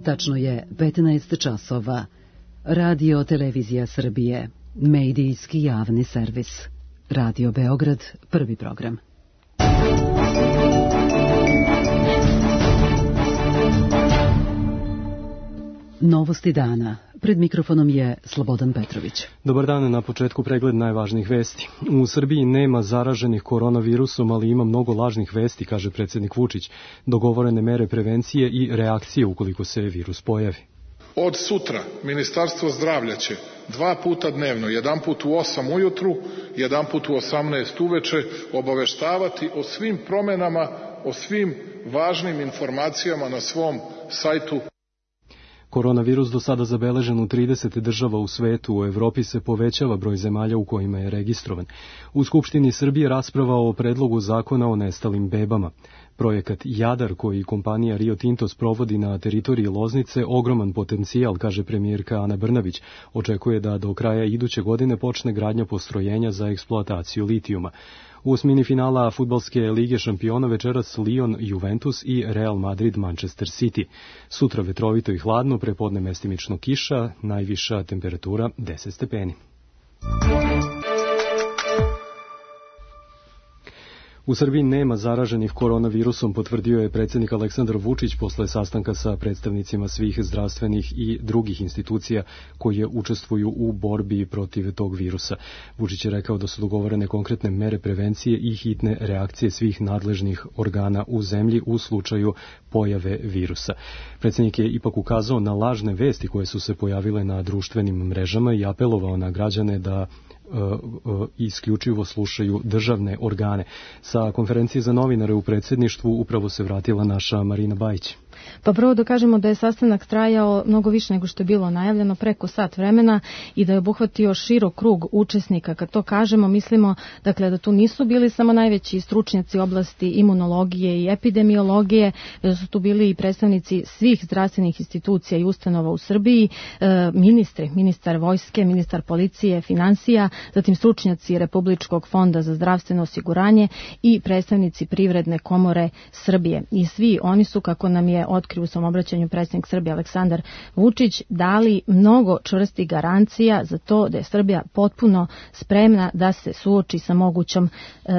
Tačno je 15 časova. Radio Televizija Srbije. Medijski javni servis. Radio Beograd, prvi program. Novosti dana. Pred mikrofonom je Slobodan Petrović. Dobar dan, na početku pregled najvažnijih vesti. U Srbiji nema zaraženih koronavirusom, ali ima mnogo lažnih vesti, kaže predsjednik Vučić. Dogovorene mere prevencije i reakcije ukoliko se virus pojavi. Od sutra Ministarstvo zdravlja će 2 puta dnevno, jedan put u 8 ujutru, jedan put u 18 uveče, obaveštavati o svim promenama, o svim važnim informacijama na svom sajtu. Koronavirus do sada zabeležen u 30 država u svetu. U Evropi se povećava broj zemalja u kojima je registrovan. U Skupštini Srbije rasprava o predlogu zakona o nestalim bebama. Projekat Jadar, koji kompanija Rio Tinto sprovodi na teritoriji Loznice, ogroman potencijal, kaže premijerka Ana Brnabić. Očekuje da do kraja iduće godine počne gradnja postrojenja za eksploataciju litijuma. U osmini finala fudbalske lige šampiona večeras Lyon Juventus i Real Madrid Manchester City. Sutra vetrovito i hladno, prepodne mestimično kiša, najviša temperatura 10 stepeni. U Srbiji nema zaraženih koronavirusom, potvrdio je predsjednik Aleksandar Vučić posle sastanka sa predstavnicima svih zdravstvenih i drugih institucija koje učestvuju u borbi protiv tog virusa. Vučić je rekao da su dogovorene konkretne mere prevencije i hitne reakcije svih nadležnih organa u zemlji u slučaju pojave virusa. Predsjednik je ipak ukazao na lažne vesti koje su se pojavile na društvenim mrežama i apelovao na građane da isključivo slušaju državne organe. Sa konferencije za novinare u predsjedništvu upravo se vratila naša Marina Bajić. Pa prvo da kažemo da je sastanak trajao mnogo više nego što je bilo najavljeno, preko sat vremena, i da je obuhvatio širok krug učesnika. Kad to kažemo, mislimo dakle da tu nisu bili samo najveći stručnjaci oblasti imunologije i epidemiologije, da su tu bili i predstavnici svih zdravstvenih institucija i ustanova u Srbiji, ministar vojske, ministar policije, finansija, zatim stručnjaci Republičkog fonda za zdravstveno osiguranje i predstavnici Privredne komore Srbije. I svi oni su, kako nam je otkrio u svom obraćanju predsjednik Srbije Aleksandar Vučić, dali mnogo čvrstih garancija za to da je Srbija potpuno spremna da se suoči sa mogućom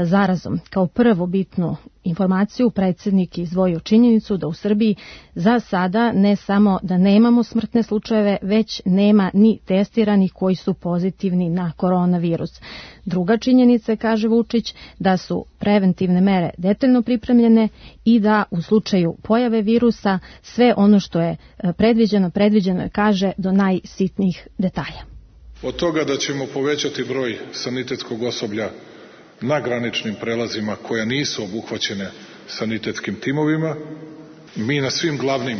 zarazom. Kao prvu bitnu informaciju predsjednik je izdvojio činjenicu da u Srbiji za sada ne samo da nemamo smrtne slučajeve, već nema ni testiranih koji su pozitivni na koronavirus. Druga činjenica, kaže Vučić, da su preventivne mere detaljno pripremljene i da u slučaju pojave virusa sve ono što je predviđeno je, kaže, do najsitnijih detalja. Od toga da ćemo povećati broj sanitetskog osoblja na graničnim prelazima koja nisu obuhvaćene sanitetskim timovima, mi na svim glavnim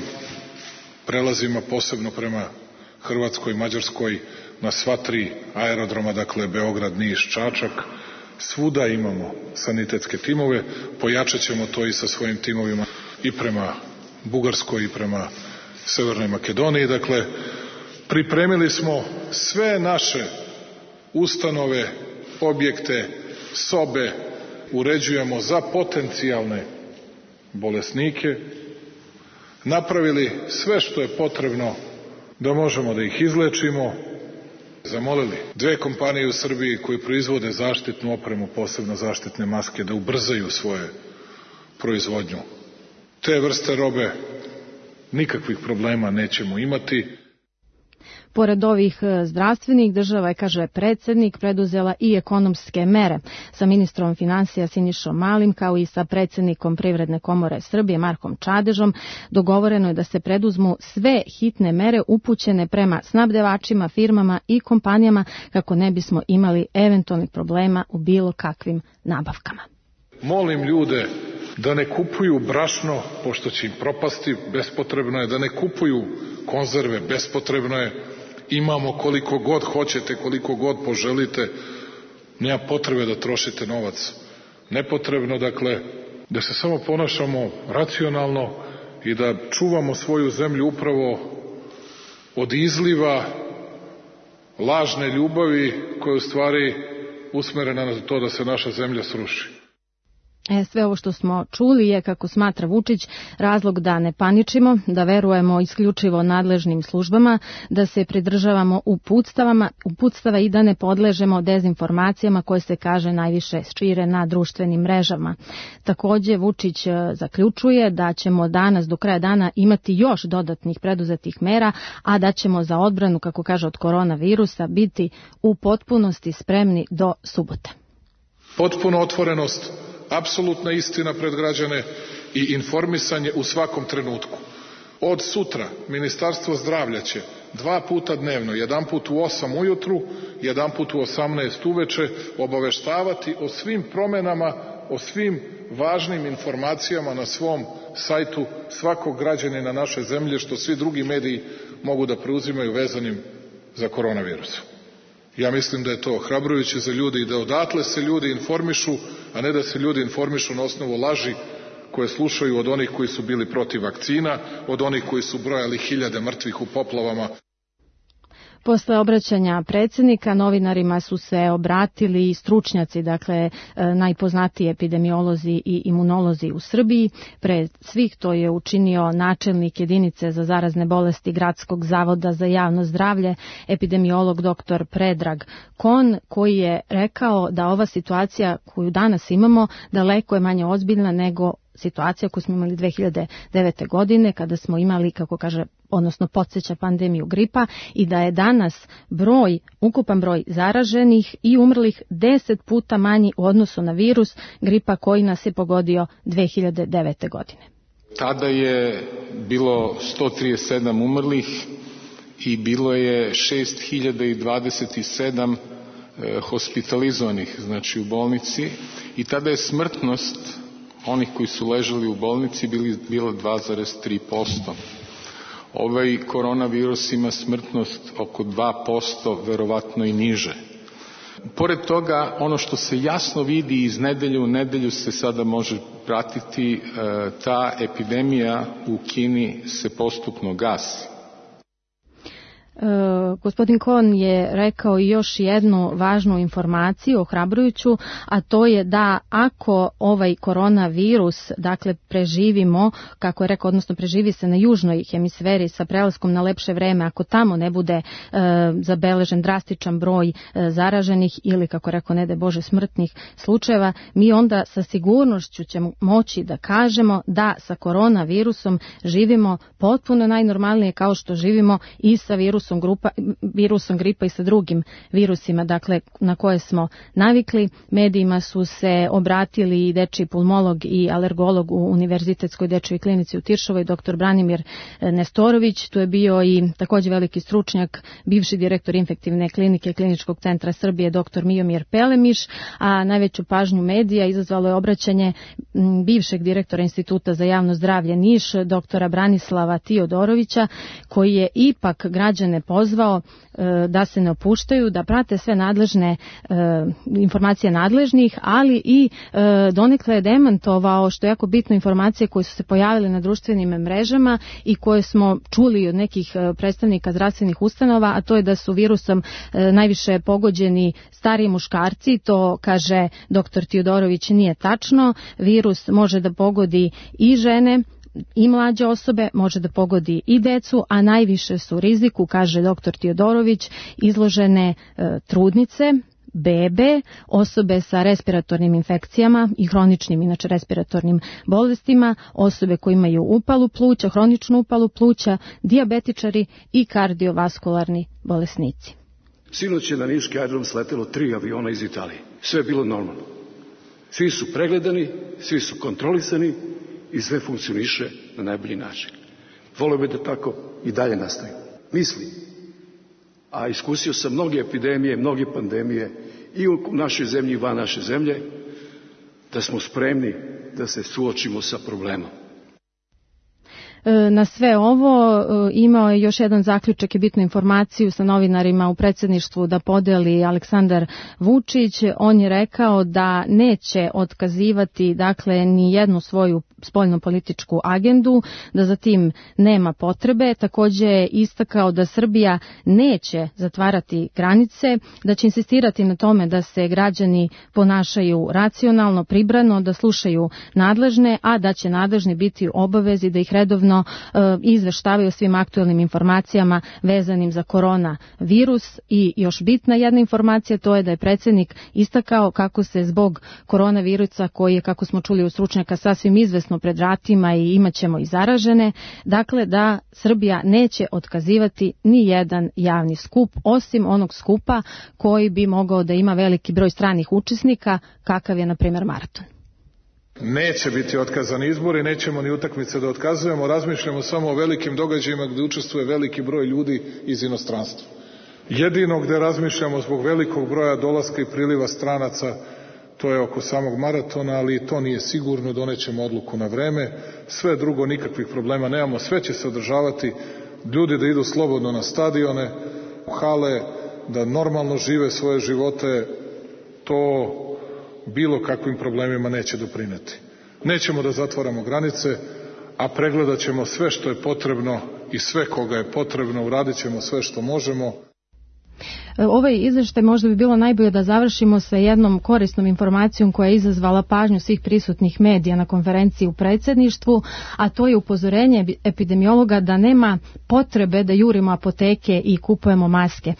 prelazima, posebno prema Hrvatskoj i Mađarskoj, na sva 3 aerodroma, dakle Beograd, Niš, Čačak, svuda imamo sanitetske timove. Pojačat ćemo to i sa svojim timovima i prema Bugarskoj i prema Severnoj Makedoniji. Dakle, pripremili smo sve naše ustanove, objekte, sobe, uređujemo za potencijalne bolesnike, napravili sve što je potrebno da možemo da ih izlečimo, zamolili 2 kompanije u Srbiji koje proizvode zaštitnu opremu, posebno zaštitne maske, da ubrzaju svoje proizvodnju. Te vrste robe nikakvih problema nećemo imati. Pored ovih zdravstvenih, država je, kaže predsjednik, preduzela i ekonomske mere. Sa ministrom finansija Sinišom Malim, kao i sa predsjednikom Privredne komore Srbije Markom Čadežom, dogovoreno je da se preduzmu sve hitne mere upućene prema snabdevačima, firmama i kompanijama kako ne bismo imali eventualnih problema u bilo kakvim nabavkama. Molim ljude da ne kupuju brašno, pošto će im propasti, bespotrebno je, da ne kupuju konzerve, bespotrebno je. Imamo koliko god hoćete, koliko god poželite, nema potrebe da trošite novac nepotrebno, dakle, da se samo ponašamo racionalno i da čuvamo svoju zemlju upravo od izliva lažne ljubavi koja je u stvari usmerena na to da se naša zemlja sruši. Sve ovo što smo čuli je, kako smatra Vučić, razlog da ne paničimo, da verujemo isključivo nadležnim službama, da se pridržavamo uputstava i da ne podležemo dezinformacijama koje se, kaže, najviše šire na društvenim mrežama. Takođe, Vučić zaključuje da ćemo danas do kraja dana imati još dodatnih preduzetih mera, a da ćemo za odbranu, kako kaže, od koronavirusa biti u potpunosti spremni do subote. Potpuna otvorenost, apsolutna istina pred građane i informisanje u svakom trenutku. Od sutra Ministarstvo zdravlja će 2 puta dnevno, jedan put u 8 ujutru, jedan put u 18 uveče, obaveštavati o svim promenama, o svim važnim informacijama na svom sajtu svakog građanina naše zemlje, što svi drugi mediji mogu da preuzimaju vezanim za koronavirus. Ja mislim da je to ohrabrujuće za ljude i da odatle se ljudi informišu, a ne da se ljudi informišu na osnovu laži koje slušaju od onih koji su bili protiv vakcina, od onih koji su brojali 1000 mrtvih u poplavama. Posle obraćanja predsjednika novinarima su se obratili i stručnjaci, dakle najpoznatiji epidemiolozi i imunolozi u Srbiji. Pre svih to je učinio načelnik jedinice za zarazne bolesti Gradskog zavoda za javno zdravlje, epidemiolog dr. Predrag Kon, koji je rekao da ova situacija koju danas imamo daleko je manje ozbiljna nego situacija koju smo imali 2009. godine kada smo imali, kako kaže, odnosno podsjeća pandemiju gripa, i da je danas ukupan broj zaraženih i umrlih 10 puta manji u odnosu na virus gripa koji nas je pogodio 2009. godine. Tada je bilo 137 umrlih i bilo je 6027 hospitalizovanih, znači u bolnici, i tada je smrtnost onih koji su ležali u bolnici bilo 2,3%. Ovaj koronavirus ima smrtnost oko 2%, verovatno i niže. Pored toga, ono što se jasno vidi iz nedelje u nedelju se sada može pratiti, ta epidemija u Kini se postupno gasi. Gospodin Kon je rekao još jednu važnu informaciju, ohrabrujuću, a to je da ako ovaj koronavirus, dakle, preživimo, kako je rekao, odnosno preživi se na južnoj hemisferi sa prelaskom na lepše vreme, ako tamo ne bude zabeležen drastičan broj zaraženih ili, kako je rekao, ne daj Bože, smrtnih slučajeva, mi onda sa sigurnošću ćemo moći da kažemo da sa koronavirusom živimo potpuno najnormalnije kao što živimo i sa virusom gripa i sa drugim virusima, dakle, na koje smo navikli. Medijima su se obratili i dečiji pulmolog i alergolog u Univerzitetskoj dečjoj klinici u Tiršovoj, dr. Branimir Nestorović. Tu je bio i takođe veliki stručnjak, bivši direktor infektivne klinike Kliničkog centra Srbije, dr. Mijomir Pelemiš, a najveću pažnju medija izazvalo je obraćanje bivšeg direktora Instituta za javno zdravlje Niš, dr. Branislava Tiodorovića, koji je ipak građane pozvao da se ne opuštaju, da prate sve nadležne informacije nadležnih, ali i donekle je demantovao, što je jako bitno, informacije koje su se pojavile na društvenim mrežama i koje smo čuli od nekih predstavnika zdravstvenih ustanova, a to je da su virusom najviše pogođeni stariji muškarci. To, kaže dr. Tiodorović, nije tačno. Virus može da pogodi i žene i mlađe osobe, može da pogodi i decu, a najviše su riziku, kaže dr. Tiodorović, izložene trudnice, bebe, osobe sa respiratornim infekcijama i hroničnim, inače, respiratornim bolestima, osobe koje imaju upalu pluća, hroničnu upalu pluća, dijabetičari i kardiovaskularni bolesnici. Sinoć je na niški aerodrom sletelo 3 aviona iz Italije. Sve je bilo normalno. Svi su pregledani, svi su kontrolisani i sve funkcioniše na najbolji način. Volio bih da tako i dalje nastaje. Mislim, a iskusio sam mnoge epidemije, mnoge pandemije i u našoj zemlji i van naše zemlje, da smo spremni da se suočimo sa problemom. Na sve ovo imao je još jedan zaključak i bitnu informaciju sa novinarima u predsjedništvu da podeli Aleksandar Vučić. On je rekao da neće otkazivati dakle ni jednu svoju spoljnopolitičku agendu, da za tim nema potrebe. Također je istakao da Srbija neće zatvarati granice, da će insistirati na tome da se građani ponašaju racionalno, pribrano, da slušaju nadležne, a da će nadležni biti u obavezi da ih redovno izveštavaju o svim aktuelnim informacijama vezanim za koronavirus. I još bitna jedna informacija, to je da je predsjednik istakao kako se zbog koronavirusa, koji je, kako smo čuli od stručnjaka, sasvim izvesno pred vratima i imat ćemo i zaražene, dakle da Srbija neće otkazivati ni jedan javni skup, osim onog skupa koji bi mogao da ima veliki broj stranih učesnika, kakav je na primjer maraton. Neće biti otkazani izbori, nećemo ni utakmice da otkazujemo, razmišljamo samo o velikim događajima gdje učestvuje veliki broj ljudi iz inostranstva. Jedino gdje razmišljamo zbog velikog broja dolaska i priliva stranaca, to je oko samog maratona, ali to nije sigurno, donećemo odluku na vreme, sve drugo nikakvih problema nemamo, sve će se održavati, ljudi da idu slobodno na stadione, u hale, da normalno žive svoje živote, to bilo kakvim problemima neće doprineti. Nećemo da zatvaramo granice, a pregledat ćemo sve što je potrebno i sve koga je potrebno, uradit ćemo sve što možemo. Ovaj izvještaj možda bi bilo najbolje da završimo sa jednom korisnom informacijom koja je izazvala pažnju svih prisutnih medija na konferenciji u predsjedništvu, a to je upozorenje epidemiologa da nema potrebe da jurimo apoteke i kupujemo maske.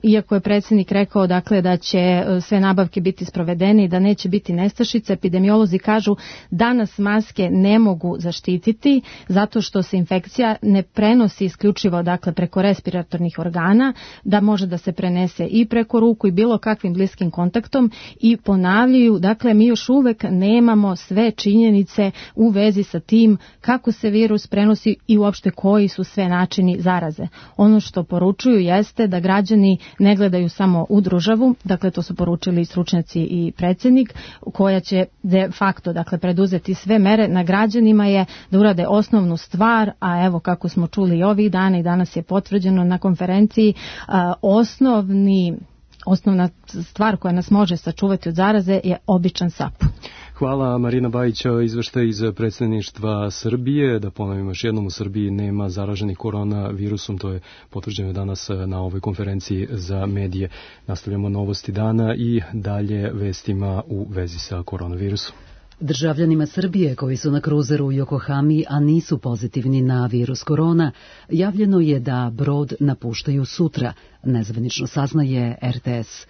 Iako je predsjednik rekao dakle da će sve nabavke biti sprovedene i da neće biti nestašice, epidemiolozi kažu da nas maske ne mogu zaštititi zato što se infekcija ne prenosi isključivo dakle preko respiratornih organa, da može da se prenese i preko ruku i bilo kakvim bliskim kontaktom, i ponavljaju, dakle mi još uvek nemamo sve činjenice u vezi sa tim kako se virus prenosi i uopšte koji su sve načini zaraze. Ono što poručuju jeste da građani ne gledaju samo u državu, dakle to su poručili i stručnjaci i predsjednik, koja će de facto dakle preduzeti sve mere. Na građanima je da urade osnovnu stvar, a evo kako smo čuli i ovih dana i danas je potvrđeno na konferenciji, osnovna stvar koja nas može sačuvati od zaraze je običan sapun. Hvala. Marina Bajić, izveštaj iz predsjedništva Srbije. Da ponovim još jednom, u Srbiji nema zaraženih koronavirusom, to je potvrđeno danas na ovoj konferenciji za medije. Nastavljamo novosti dana i dalje vestima u vezi sa koronavirusom. Državljanima Srbije koji su na kruzeru u Yokohami, a nisu pozitivni na virus korona, javljeno je da brod napuštaju sutra, nezvanično saznaje RTS.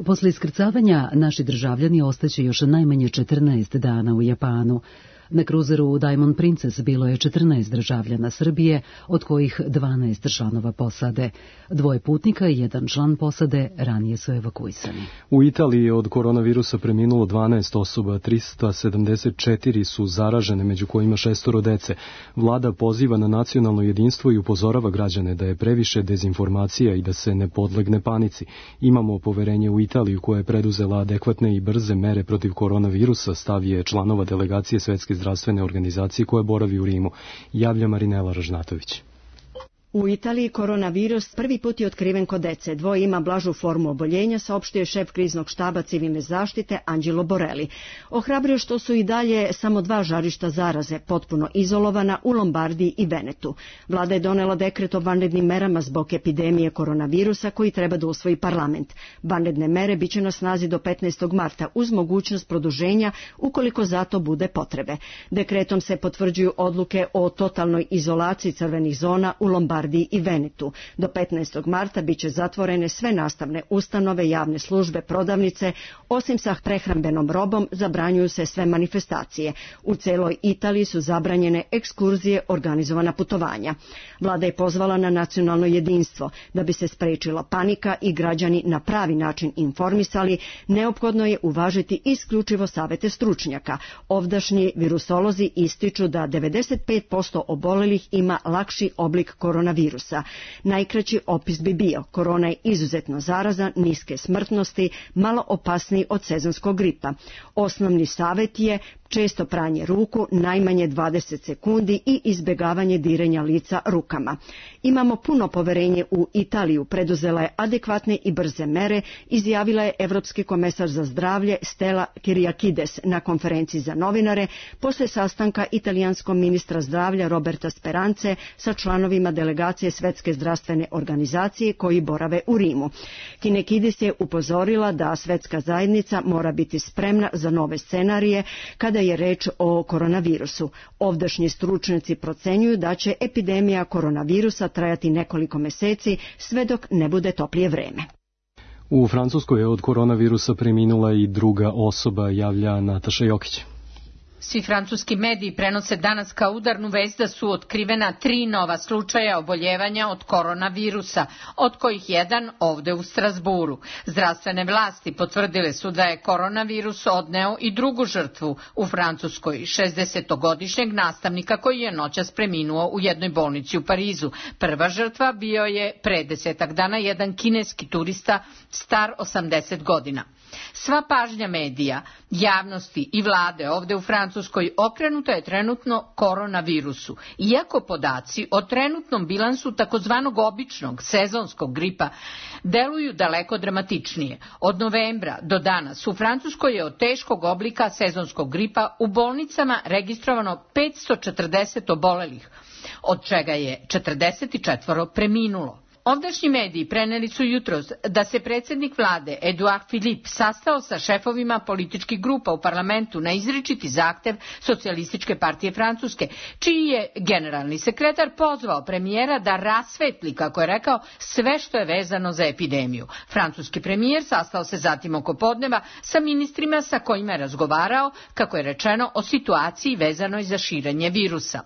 Posle iskrcavanja naši državljani ostaće još najmanje 14 dana u Japanu. Na kruzeru Diamond Princess bilo je 14 državljana Srbije, od kojih 12 članova posade. 2 putnika i 1 član posade ranije su evakuisani. U Italiji je od koronavirusa preminulo 12 osoba, 374 su zaražene, među kojima 6 dece. Vlada poziva na nacionalno jedinstvo i upozorava građane da je previše dezinformacija i da se ne podlegne panici. Imamo poverenje u Italiju koja je preduzela adekvatne i brze mere protiv koronavirusa, stav je članova delegacije Svetske zdravstvene organizacije koja boravi u Rimu, javlja Marinela Ražnatović. U Italiji koronavirus prvi put je otkriven kod dece. 2 ima blažu formu oboljenja, saopštio je šef kriznog štaba civilne zaštite Angelo Borelli. Ohrabrio što su i dalje samo 2 žarišta zaraze, potpuno izolovana u Lombardiji i Venetu. Vlada je donela dekret o vanrednim merama zbog epidemije koronavirusa koji treba da usvoji parlament. Vanredne mere biće na snazi do 15. marta uz mogućnost produženja ukoliko za to bude potrebe. Dekretom se potvrđuju odluke o totalnoj izolaciji crvenih zona u Lombardiji i Venetu. Do 15. marta biće zatvorene sve nastavne ustanove, javne službe, prodavnice, osim sa prehrambenom robom zabranjuju se sve manifestacije. U celoj Italiji su zabranjene ekskurzije, organizovana putovanja. Vlada je pozvala na nacionalno jedinstvo. Da bi se sprečila panika i građani na pravi način informisali, neophodno je uvažiti isključivo savete stručnjaka. Ovdašnji virusolozi ističu da 95% obolelih ima lakši oblik koronavirusa koronavirusa. Najkraći opis bi bio: korona je izuzetno zarazan, niske smrtnosti, malo opasniji od sezonskog gripa. Osnovni savjet je često pranje ruku, najmanje 20 sekundi i izbjegavanje diranja lica rukama. Imamo puno poverenje u Italiju, preduzela je adekvatne i brze mere, izjavila je Evropski komesar za zdravlje Stella Kyriakides na konferenciji za novinare posle sastanka italijanskog ministra zdravlja Roberta Sperance sa članovima delegacije Svetske zdravstvene organizacije koji borave u Rimu. Kyriakides je upozorila da svetska zajednica mora biti spremna za nove scenarije kada je reč o koronavirusu. Ovdašnji stručnjaci procenjuju da će epidemija koronavirusa trajati nekoliko meseci sve dok ne bude toplije vreme. U Francuskoj je od koronavirusa preminula i druga osoba, javlja Nataša Jokić. Svi francuski mediji prenose danas kao udarnu vest da su otkrivena 3 nova slučaja oboljevanja od koronavirusa, od kojih jedan ovde u Strasburu. Zdravstvene vlasti potvrdile su da je koronavirus odneo i drugu žrtvu u Francuskoj, 60-godišnjeg nastavnika koji je noćas preminuo u jednoj bolnici u Parizu. Prva žrtva bio je pre 10 dana jedan kineski turista star 80 godina. Sva pažnja medija, javnosti i vlade ovde u Francuskoj okrenuta je trenutno koronavirusu, iako podaci o trenutnom bilansu takozvanog običnog sezonskog gripa deluju daleko dramatičnije. Od novembra do danas u Francuskoj je od teškog oblika sezonskog gripa u bolnicama registrovano 540 obolelih, od čega je 44 preminulo. Ovdašnji mediji preneli su jutros da se predsjednik vlade Edouard Philippe sastao sa šefovima političkih grupa u parlamentu na izričiti zahtev Socijalističke partije Francuske, čiji je generalni sekretar pozvao premijera da rasvetli, kako je rekao, sve što je vezano za epidemiju. Francuski premijer sastao se zatim oko podneva sa ministrima sa kojima je razgovarao, kako je rečeno, o situaciji vezanoj za širenje virusa.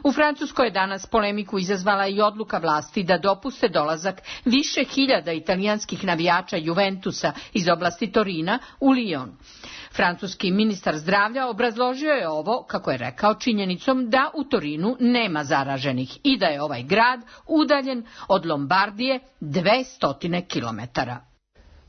U Francuskoj je danas polemiku izazvala i odluka vlasti da dopuste dolazak više hiljada italijanskih navijača Juventusa iz oblasti Torina u Lyon. Francuski ministar zdravlja obrazložio je ovo, kako je rekao, činjenicom da u Torinu nema zaraženih i da je ovaj grad udaljen od Lombardije 200 kilometara.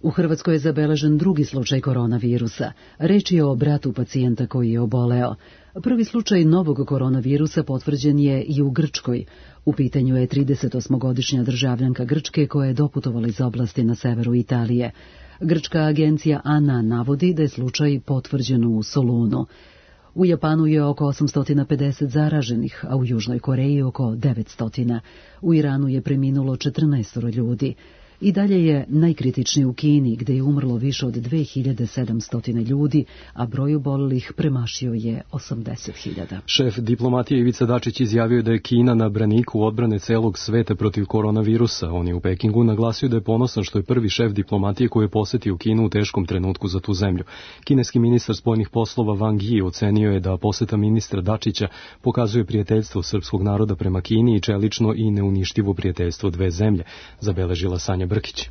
U Hrvatskoj je zabeležen drugi slučaj koronavirusa. Reč je o bratu pacijenta koji je oboleo. Prvi slučaj novog koronavirusa potvrđen je i u Grčkoj. U pitanju je 38-godišnja državljanka Grčke koja je doputovala iz oblasti na severu Italije. Grčka agencija ANA navodi da je slučaj potvrđen u Solunu. U Japanu je oko 850 zaraženih, a u Južnoj Koreji oko 900. U Iranu je preminulo 14 ljudi. I dalje je najkritičniji u Kini, gde je umrlo više od 2700 ljudi, a broj obolelih premašio je 80.000. Šef diplomatije Ivica Dačić izjavio da je Kina na braniku odbrane celog sveta protiv koronavirusa. On je u Pekingu naglasio da je ponosan što je prvi šef diplomatije koji je posetio Kinu u teškom trenutku za tu zemlju. Kineski ministar spoljnih poslova Wang Yi ocenio je da poseta ministra Dačića pokazuje prijateljstvo srpskog naroda prema Kini i čelično i neuništivo prijateljstvo dve zemlje, zabeležila Sanja Brkić.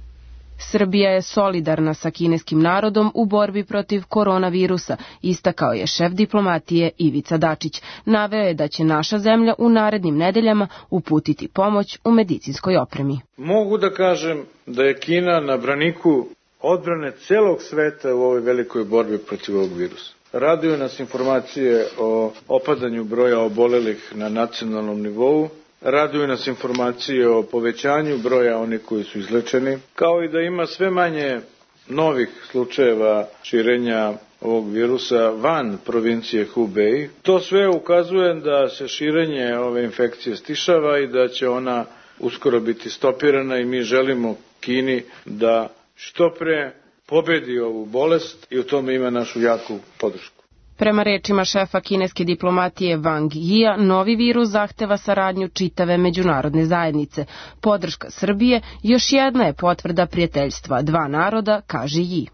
Srbija je solidarna sa kineskim narodom u borbi protiv koronavirusa, istakao je šef diplomatije Ivica Dačić. Naveo je da će naša zemlja u narednim nedeljama uputiti pomoć u medicinskoj opremi. Mogu da kažem da je Kina na braniku odbrane celog sveta u ovoj velikoj borbi protiv ovog virusa. Raduju nas informacije o opadanju broja obolelih na nacionalnom nivou. Raduju nas informacije o povećanju broja onih koji su izlečeni, kao i da ima sve manje novih slučajeva širenja ovog virusa van provincije Hubei. To sve ukazuje da se širenje ove infekcije stišava i da će ona uskoro biti stopirana i mi želimo Kini da što pre pobedi ovu bolest i u tome ima našu jaku podršku. Prema rečima šefa kineske diplomatije Wang Yia, novi virus zahteva saradnju čitave međunarodne zajednice. Podrška Srbije još jedna je potvrda prijateljstva dva naroda, kaže Yi.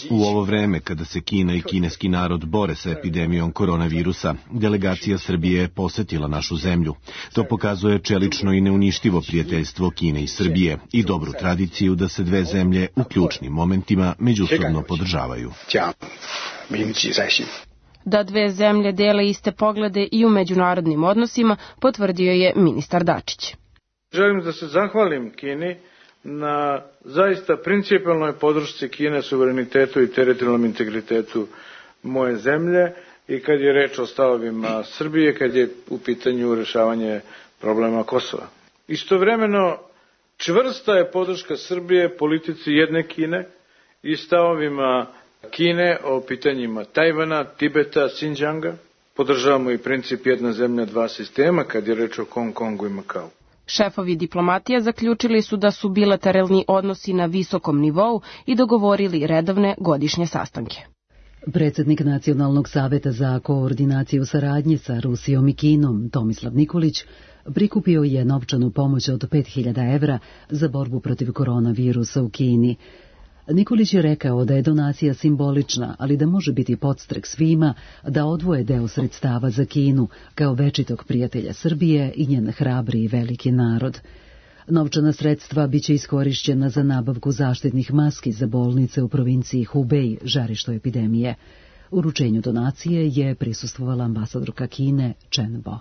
U ovo vreme kada se Kina i kineski narod bore sa epidemijom koronavirusa, delegacija Srbije je posetila našu zemlju. To pokazuje čelično i neuništivo prijateljstvo Kine i Srbije i dobru tradiciju da se dve zemlje u ključnim momentima međusobno podržavaju. Da dve zemlje dele iste poglede i u međunarodnim odnosima, potvrdio je ministar Dačić. Želim da se zahvalim Kini na zaista principijelnoj podršci Kine suverenitetu i teritorijalnom integritetu moje zemlje i kad je reč o stavovima Srbije, kad je u pitanju rešavanje problema Kosova. Istovremeno, čvrsta je podrška Srbije politici jedne Kine i stavovima Kine o pitanjima Tajvana, Tibeta, Sinđanga. Podržavamo i princip jedna zemlja, dva sistema kad je reč o Hong Kongu i Makau. Šefovi diplomatija zaključili su da su bilateralni odnosi na visokom nivou i dogovorili redovne godišnje sastanke. Predsjednik Nacionalnog saveta za koordinaciju saradnje sa Rusijom i Kinom, Tomislav Nikolić, prikupio je novčanu pomoć od 5.000 evra za borbu protiv koronavirusa u Kini. Nikolić je rekao da je donacija simbolična, ali da može biti podstrek svima da odvoje deo sredstava za Kinu kao večitog prijatelja Srbije i njen hrabri i veliki narod. Novčana sredstva biće iskorišćena za nabavku zaštitnih maski za bolnice u provinciji Hubei, žarištu epidemije. Uručenju donacije je prisustvovala ambasadorka Kine Chen Bo.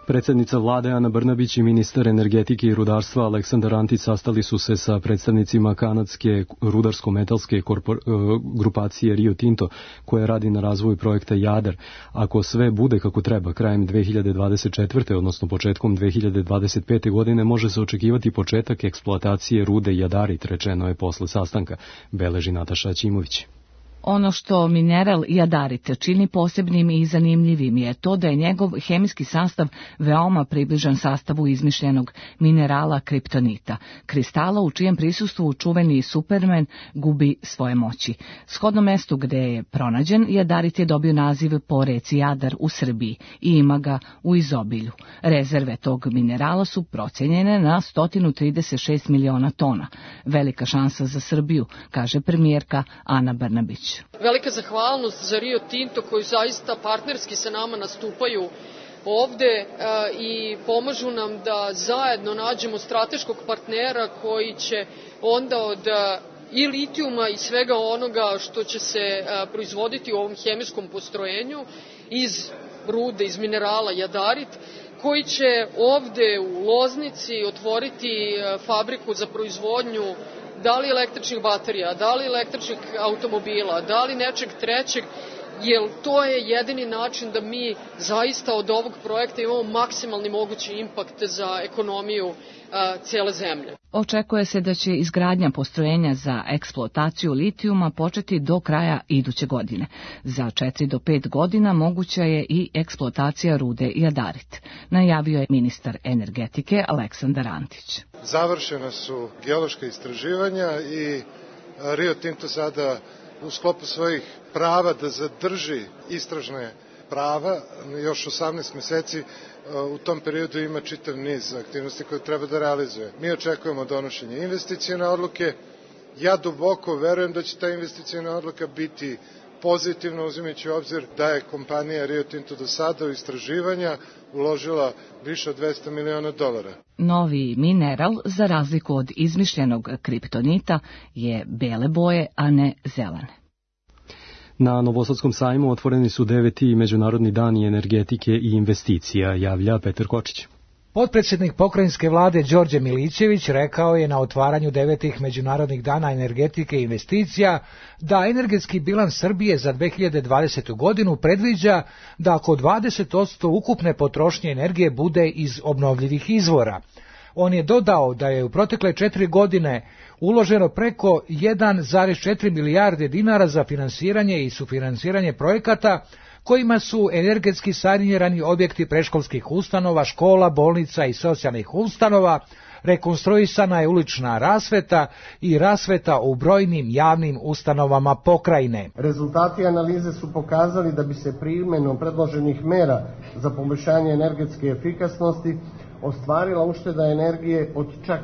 Predsjednica vlade Ana Brnabić i ministar energetike i rudarstva Aleksandar Antić sastali su se sa predstavnicima kanadske rudarsko-metalske grupacije Rio Tinto, koja radi na razvoju projekta Jadar. Ako sve bude kako treba, krajem 2024. odnosno početkom 2025. godine može se očekivati početak eksploatacije rude Jadarit, rečeno je posle sastanka, beleži Nataša Ćimović. Ono što mineral jadarit čini posebnim i zanimljivim je to da je njegov hemijski sastav veoma približan sastavu izmišljenog minerala kriptonita, kristala u čijem prisustvu čuveni Superman gubi svoje moći. Shodno mestu gde je pronađen, jadarit je dobio naziv po reci Jadar u Srbiji i ima ga u izobilju. Rezerve tog minerala su procenjene na 136 miliona tona. Velika šansa za Srbiju, kaže premijerka Ana Brnabić. Velika zahvalnost za Rio Tinto koji zaista partnerski sa nama nastupaju ovde i pomažu nam da zajedno nađemo strateškog partnera koji će onda od i litijuma i svega onoga što će se proizvoditi u ovom hemijskom postrojenju iz rude, iz minerala jadarit, koji će ovde u Loznici otvoriti fabriku za proizvodnju da li električnih baterija, da li električnih automobila, da li nečeg trećeg, jer to je jedini način da mi zaista od ovog projekta imamo maksimalni mogući impakt za ekonomiju cijele zemlje. Očekuje se da će izgradnja postrojenja za eksploataciju litijuma početi do kraja iduće godine. Za 4 do 5 godina moguća je i eksploatacija rude jadarit, najavio je ministar energetike Aleksandar Antić. Završena su geološka istraživanja i Rio Tinto sada u sklopu svojih prava da zadrži istražne prava još 18 meseci. U tom periodu ima čitav niz aktivnosti koje treba da realizuje. Mi očekujemo donošenje investicione odluke. Ja duboko verujem da će ta investiciona odluka biti pozitivna, uzimajući u obzir da je kompanija Rio Tinto do sada u istraživanja uložila više od $200 miliona. Novi mineral, za razliku od izmišljenog kriptonita, je bele boje, a ne zelene. Na Novosadskom sajmu otvoreni su 9. Međunarodni dani energetike i investicija, javlja Petar Kočić. Potpredsjednik pokrajinske vlade Đorđe Milićević rekao je na otvaranju 9. Međunarodnih dana energetike i investicija da energetski bilans Srbije za 2020. godinu predviđa da oko 20% ukupne potrošnje energije bude iz obnovljivih izvora. On je dodao da je u protekle 4 godine uloženo preko 1,4 milijarde dinara za finansiranje i sufinansiranje projekata kojima su energetski sanirani objekti predškolskih ustanova, škola, bolnica i socijalnih ustanova, rekonstruisana je ulična rasveta i rasveta u brojnim javnim ustanovama pokrajine. Rezultati analize su pokazali da bi se primenom predloženih mera za poboljšanje energetske efikasnosti ostvarila ušteda energije od čak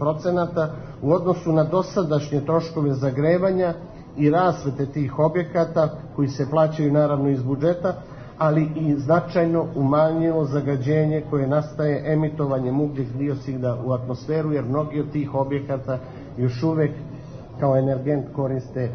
60% u odnosu na dosadašnje troškove zagrevanja i rasvete tih objekata koji se plaćaju naravno iz budžeta, ali i značajno umanjilo zagađenje koje nastaje emitovanjem ugljik dioksida u atmosferu, jer mnogi od tih objekata još uvek kao energent koriste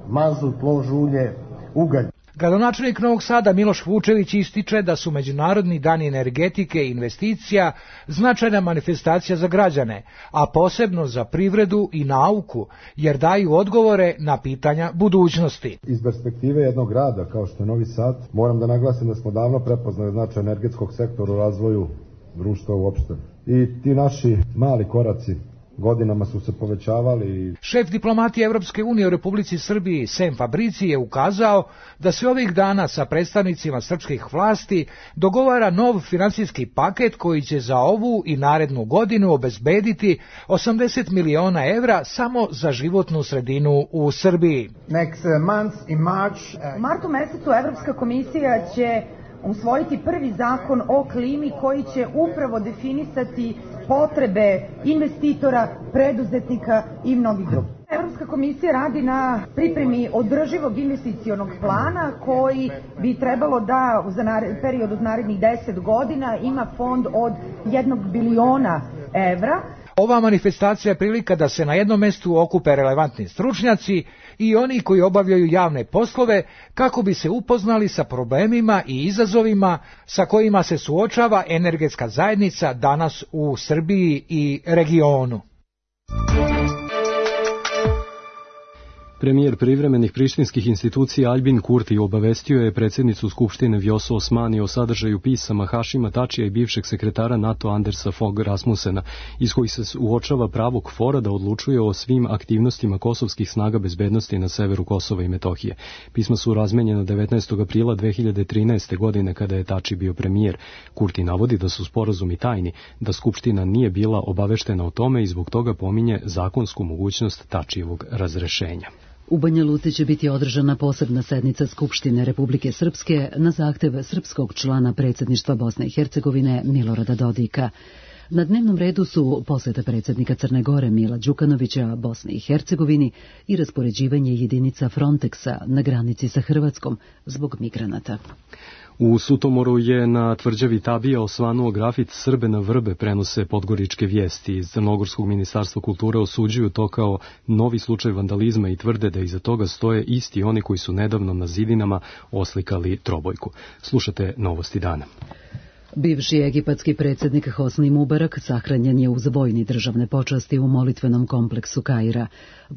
mazut, lož ulje, ugalj. Gradonačelnik Novog Sada Miloš Vučević ističe da su Međunarodni dani energetike i investicija značajna manifestacija za građane, a posebno za privredu i nauku, jer daju odgovore na pitanja budućnosti. Iz perspektive jednog grada kao što je Novi Sad, moram da naglasim da smo davno prepoznali značaj energetskog sektora u razvoju društva uopšte. I ti naši mali koraci godinama su se povećavali. Šef diplomatije Evropske unije u Republici Srbiji Sem Fabrici je ukazao da se ovih dana sa predstavnicima srpskih vlasti dogovara nov finansijski paket koji će za ovu i narednu godinu obezbediti 80 miliona evra samo za životnu sredinu u Srbiji. U martu mesecu Evropska komisija će usvojiti prvi zakon o klimi koji će upravo definisati potrebe investitora, preduzetnika i mnogih drugih. Evropska komisija radi na pripremi održivog investicionog plana koji bi trebalo da za period od narednih 10 godina ima fond od 1 biliona evra. Ova manifestacija je prilika da se na jednom mestu okupe relevantni stručnjaci i oni koji obavljaju javne poslove kako bi se upoznali sa problemima i izazovima sa kojima se suočava energetska zajednica danas u Srbiji i regionu. Premijer privremenih prištinskih institucija Aljbin Kurti obavestio je predsjednicu Skupštine Vjosu Osmani o sadržaju pisama Hašima Tačija i bivšeg sekretara NATO Andersa Fogh Rasmussena, iz kojih se uočava pravo KFOR-a da odlučuje o svim aktivnostima kosovskih snaga bezbednosti na severu Kosova i Metohije. Pisma su razmenjena 19. aprila 2013. godine kada je Tači bio premijer. Kurti navodi da su sporazumi tajni, da Skupština nije bila obaveštena o tome i zbog toga pominje zakonsku mogućnost Tačijevog razrešenja. U Banja Luci će biti održana posebna sednica Skupštine Republike Srpske na zahtev srpskog člana predsjedništva Bosne i Hercegovine Milorada Dodika. Na dnevnom redu su posjeta predsjednika Crne Gore Mila Đukanovića Bosni i Hercegovini i raspoređivanje jedinica Frontexa na granici sa Hrvatskom zbog migranata. U Sutomoru je na tvrđavi Tabija osvanuo grafit Srbe na vrbe, prenose podgoričke vijesti. Iz Crnogorskog ministarstva kulture osuđuju to kao novi slučaj vandalizma i tvrde da iza toga stoje isti oni koji su nedavno na zidinama oslikali trobojku. Slušate Novosti dana. Bivši egipatski predsjednik Hosni Mubarak sahranjen je uz vojni državne počasti u molitvenom kompleksu Kaira.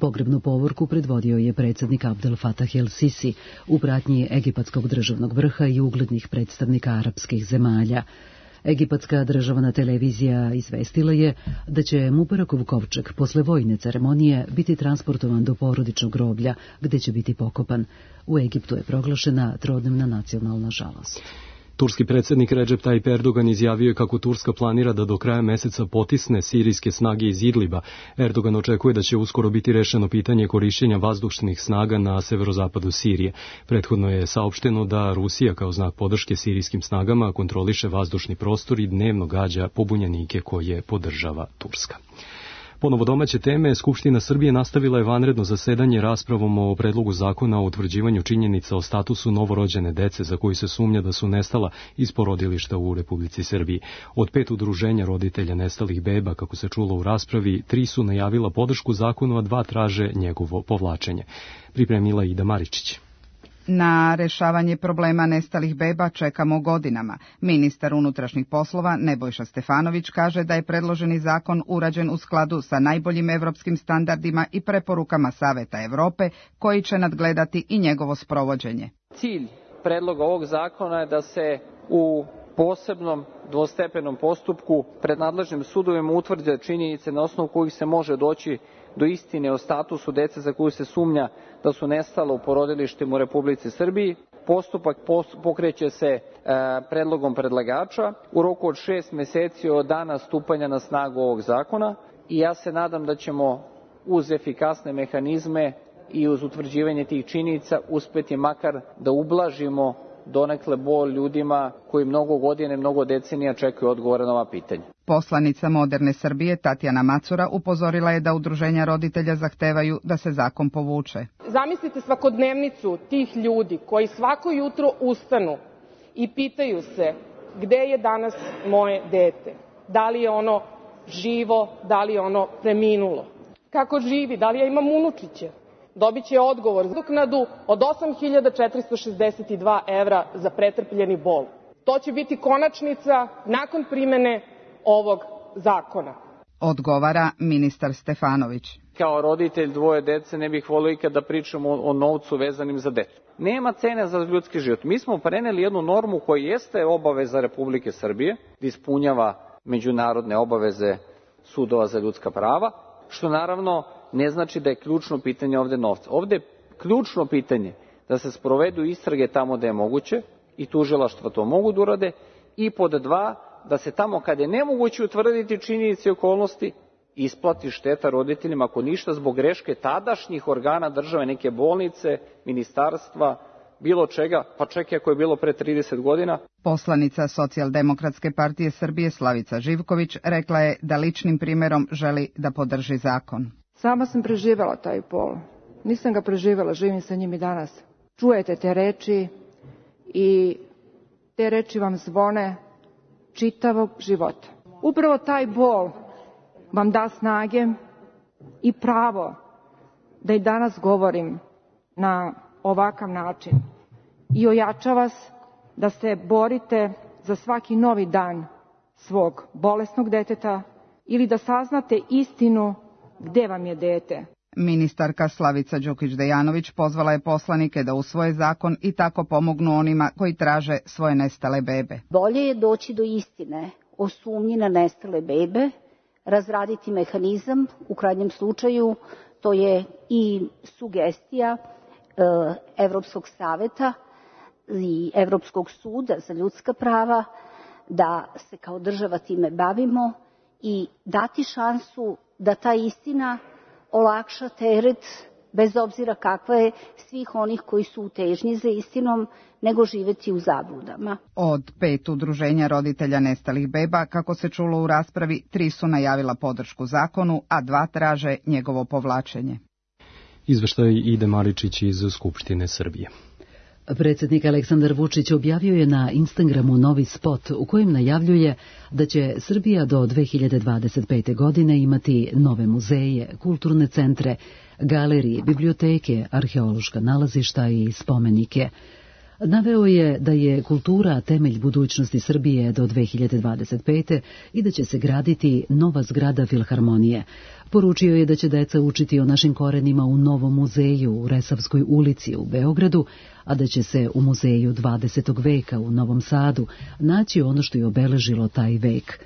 Pogrebnu povorku predvodio je predsjednik Abdel Fattah el-Sisi u pratnji egipatskog državnog vrha i uglednih predstavnika arapskih zemalja. Egipatska državna televizija izvestila je da će Mubarakov kovčeg posle vojne ceremonije biti transportovan do porodičnog groblja gdje će biti pokopan. U Egiptu je proglašena trodnevna nacionalna žalost. Turski predsjednik Recep Tayyip Erdogan izjavio je kako Turska planira da do kraja meseca potisne sirijske snage iz Idliba. Erdogan očekuje da će uskoro biti rešeno pitanje korišćenja vazdušnih snaga na severozapadu Sirije. Prethodno je saopšteno da Rusija kao znak podrške sirijskim snagama kontroliše vazdušni prostor i dnevno gađa pobunjenike koje podržava Turska. Ponovo domaće teme, Skupština Srbije nastavila je vanredno zasedanje raspravom o predlogu zakona o utvrđivanju činjenica o statusu novorođene dece za koju se sumnja da su nestala iz porodilišta u Republici Srbiji. Od 5 udruženja roditelja nestalih beba, kako se čulo u raspravi, 3 su najavila podršku zakonu, a 2 traže njegovo povlačenje. Pripremila Ida Maričić. Na rešavanje problema nestalih beba čekamo godinama. Ministar unutrašnjih poslova Nebojša Stefanović kaže da je predloženi zakon urađen u skladu sa najboljim evropskim standardima i preporukama Saveta Evrope, koji će nadgledati i njegovo sprovođenje. Cilj predloga ovog zakona je da se u posebnom dvostepenom postupku pred nadležnim sudovima utvrde činjenice na osnovu kojih se može doći do istine o statusu dece za koju se sumnja da su nestala u porodilištima u Republici Srbiji. Postupak pokreće se predlogom predlagača u roku od 6 meseci od dana stupanja na snagu ovog zakona i ja se nadam da ćemo uz efikasne mehanizme i uz utvrđivanje tih činjenica uspeti makar da ublažimo donekle bol ljudima koji mnogo godina i mnogo decenija čekaju odgovore na ova pitanja. Poslanica Moderne Srbije Tatjana Macura upozorila je da udruženja roditelja zahtevaju da se zakon povuče. Zamislite svakodnevnicu tih ljudi koji svako jutro ustanu i pitaju se gde je danas moje dete, da li je ono živo, da li je ono preminulo, kako živi, da li ja imam unučiće. dobit će odgovor za nadoknadu od 8.462 evra za pretrpljeni bol. To će biti konačnica nakon primene ovog zakona. Odgovara ministar Stefanović. Kao roditelj dvoje dece ne bih volio ikad da pričam o novcu vezanim za decu. Nema cene za ljudski život. Mi smo preneli jednu normu koja jeste obaveza Republike Srbije, da ispunjava međunarodne obaveze sudova za ljudska prava, što naravno ne znači da je ključno pitanje ovde novca. Ovde je ključno pitanje da se sprovedu istrage tamo da je moguće i tužilaštva to mogu da urade, i pod dva, da se tamo kada je nemoguće utvrditi činjenice i okolnosti, isplati šteta roditeljima, ako ništa, zbog greške tadašnjih organa države, neke bolnice, ministarstva, bilo čega, pa čak i ako je bilo pre 30 godina. Poslanica Socijaldemokratske partije Srbije Slavica Živković rekla je da ličnim primjerom želi da podrži zakon. Sama sam preživela taj bol. Nisam ga preživela, živim sa njim i danas. Čujete te reči i te reči vam zvone čitavog života. Upravo taj bol vam da snage i pravo da i danas govorim na ovakav način i ojača vas da se borite za svaki novi dan svog bolesnog deteta ili da saznate istinu gde vam je dete. Ministarka Slavica Đukić-Dejanović pozvala je poslanike da usvoje zakon i tako pomognu onima koji traže svoje nestale bebe. Bolje je doći do istine o sumnji na nestale bebe, razraditi mehanizam, u krajnjem slučaju to je i sugestija Evropskog saveta i Evropskog suda za ljudska prava, da se kao država time bavimo i dati šansu da ta istina olakša teret, bez obzira kakva je, svih onih koji su u težnji za istinom, nego živeti u zabludama. Od 5 udruženja roditelja nestalih beba, kako se čulo u raspravi, 3 su najavila podršku zakonu, a 2 traže njegovo povlačenje. Izveštaj Ide Maričić iz Skupštine Srbije. Predsjednik Aleksandar Vučić objavio je na Instagramu novi spot u kojem najavljuje da će Srbija do 2025. godine imati nove muzeje, kulturne centre, galerije, biblioteke, arheološka nalazišta i spomenike. Naveo je da je kultura temelj budućnosti Srbije do 2025. i da će se graditi nova zgrada Filharmonije. Poručio je da će deca učiti o našim korenima u novom muzeju u Resavskoj ulici u Beogradu, a da će se u muzeju 20. veka u Novom Sadu naći ono što je obeležilo taj vek.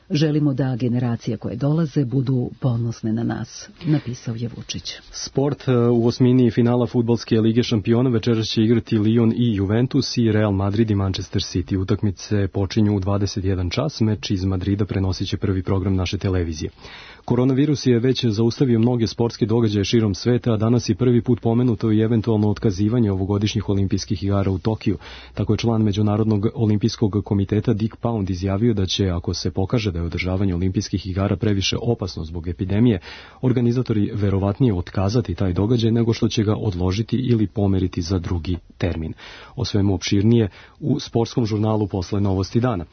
Želimo da generacije koje dolaze budu ponosne na nas, napisao je Vučić. Sport u osmini finala fudbalske lige šampiona večeras će igrati Lyon i Juventus i Real Madrid i Manchester City. Utakmice počinju u 21 čas, meč iz Madrida prenosit će prvi program naše televizije. Koronavirus je već zaustavio mnoge sportske događaje širom sveta, a danas je prvi put pomenuto i eventualno otkazivanje ovogodišnjih olimpijskih igara u Tokiju. Tako je član Međunarodnog olimpijskog komiteta Dick Pound izjavio da će, ako se pokaže da je održavanje olimpijskih igara previše opasno zbog epidemije, organizatori verovatnije otkazati taj događaj nego što će ga odložiti ili pomeriti za drugi termin. O svemu opširnije u sportskom žurnalu posle Novosti dana.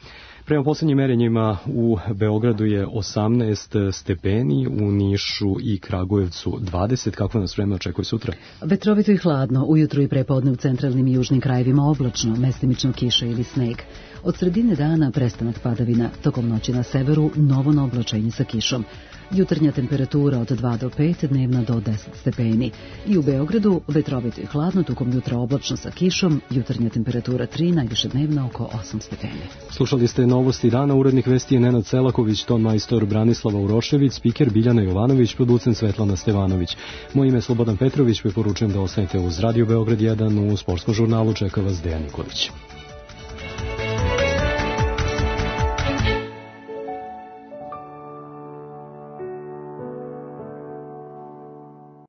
Prema poslednjim merenjima u Beogradu je 18 stepeni, u Nišu i Kragujevcu 20. Kako nas vreme očekuje sutra? Vetrovito i hladno, ujutru i prepodne u centralnim i južnim krajevima oblačno, mestimično kiša ili sneg. Od sredine dana prestanak padavina, tokom noći na severu novo oblačenje sa kišom. Jutarnja temperatura od 2 do 5, dnevna do 10 stepeni. I u Beogradu vetrovito i hladno, tokom jutra oblačno sa kišom, jutarnja temperatura 3, najviše dnevna oko 8 stepeni. Slušali ste Novosti dana, urednik vesti je Nenad Selaković, ton majstor Branislava Urošević, spiker Biljana Jovanović, producent Svetlana Stevanović. Moje ime je Slobodan Petrović, preporučujem da ostanete uz Radio Beograd 1, u sportskom žurnalu čeka vas Dejan Nikolić.